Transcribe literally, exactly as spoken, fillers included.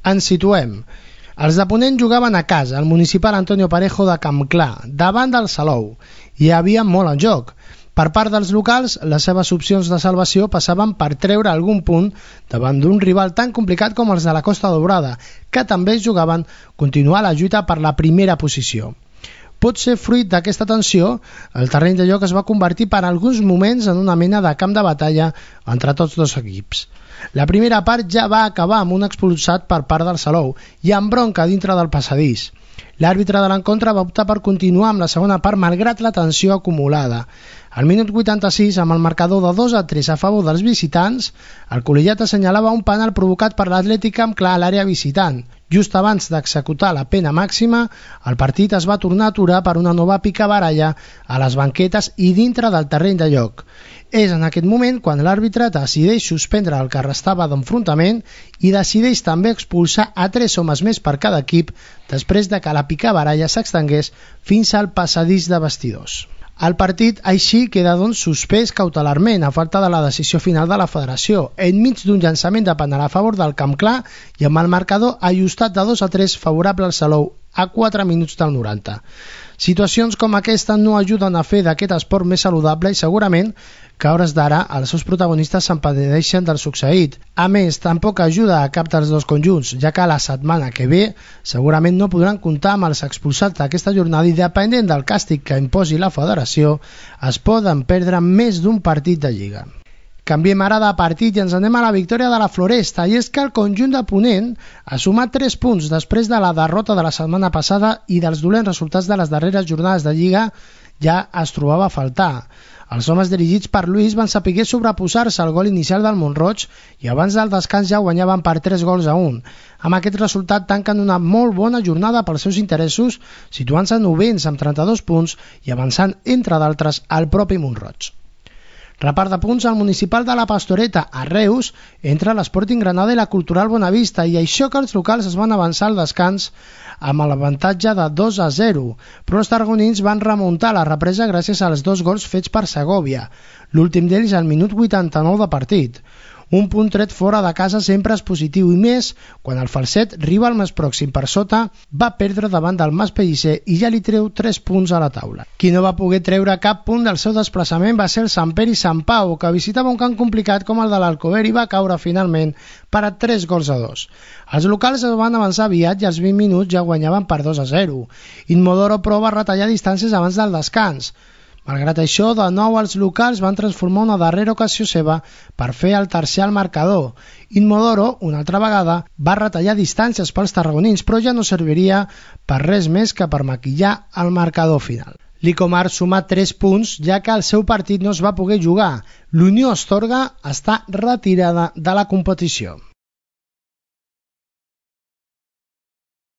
Ens situem. Els de Ponent jugaven a casa, al municipal Antonio Parejo de Campclar, davant del Salou. Hi havia molt en joc. Per part dels locals, les seves opcions de salvació passaven per treure algun punt davant d'un rival tan complicat com els de la Costa Daurada, que també jugaven continuar la lluita per la primera posició. Pot ser fruit d'aquesta tensió, el terreny de joc es va convertir per alguns moments en una mena de camp de batalla entre tots dos equips. La primera part ja va acabar amb un expulsat per part del Salou i amb bronca dintre del passadís. L'àrbitre de l'encontre va optar per continuar amb la segona part malgrat la tensió acumulada. Al minut vuitanta-sis, amb el marcador de dos a tres a favor dels visitants, el col·legiat assenyalava un penal provocat per l'Atlètic Campclar a l'àrea visitant. Just abans d'executar la pena màxima, el partit es va tornar a aturar per una nova picabaralla a les banquetes i dintre del terreny de joc. És en aquest moment quan l'àrbitre decideix suspendre el que restava d'enfrontament i decideix també expulsar a tres homes més per cada equip després de que la picabaralla s'extengués fins al passadís de vestidors. El partit així queda doncs suspès cautelarment a falta de la decisió final de la federació, enmig d'un llançament de penal a favor del Campclar i amb el marcador ajustat de dos a tres favorable al Salou a quatre minuts del noranta. Situacions com aquesta no ajuden a fer d'aquest esport més saludable i segurament que a hores d'ara els seus protagonistes s'empadedeixen del succeït. A més, tampoc ajuda a cap dels dos conjunts, ja que la setmana que ve segurament no podran comptar amb els expulsats d'aquesta jornada i depenent del càstig que imposi la federació es poden perdre més d'un partit de lliga. Canviem ara de partit i ens anem a la victòria de la Floresta, i és que el conjunt de Ponent ha sumat tres punts després de la derrota de la setmana passada i dels dolents resultats de les darreres jornades de Lliga ja es trobava a faltar. Els homes dirigits per Lluís van saber sobreposar-se al gol inicial del Mont-roig i abans del descans ja guanyaven per tres gols a un. Amb aquest resultat tanquen una molt bona jornada pels seus interessos, situant-se novens amb trenta-dos punts i avançant, entre d'altres, al propi Mont-roig. Repart de punts al municipal de la Pastoreta, a Reus, entre l'Sporting Granada i la Cultural Bonavista, i això que els locals es van avançar al descans amb l'avantatge de dos a zero, però els tarragonins van remuntar la represa gràcies als dos gols fets per Segòvia, l'últim d'ells al minut vuitanta-nou de partit. Un punt tret fora de casa sempre és positiu, i més quan el Falset, rival més pròxim per sota, va perdre davant del Mas Pellicer i ja li treu tres punts a la taula. Qui no va poder treure cap punt del seu desplaçament va ser el Sant Pere i Sant Pau, que visitava un camp complicat com el de l'Alcover i va caure finalment per a tres gols a dos. Els locals es van avançar aviat i als vint minuts ja guanyaven per dos a zero. Inmodoro però va retallar distàncies abans del descans. Malgrat això, de nou els locals van transformar una darrera ocasió seva per fer el tercer al marcador. Inmodoro, una altra vegada, va retallar distàncies pels tarragonins, però ja no serviria per res més que per maquillar el marcador final. L'Icomar suma tres punts, ja que el seu partit no es va poder jugar. L'Unió Astorga està retirada de la competició.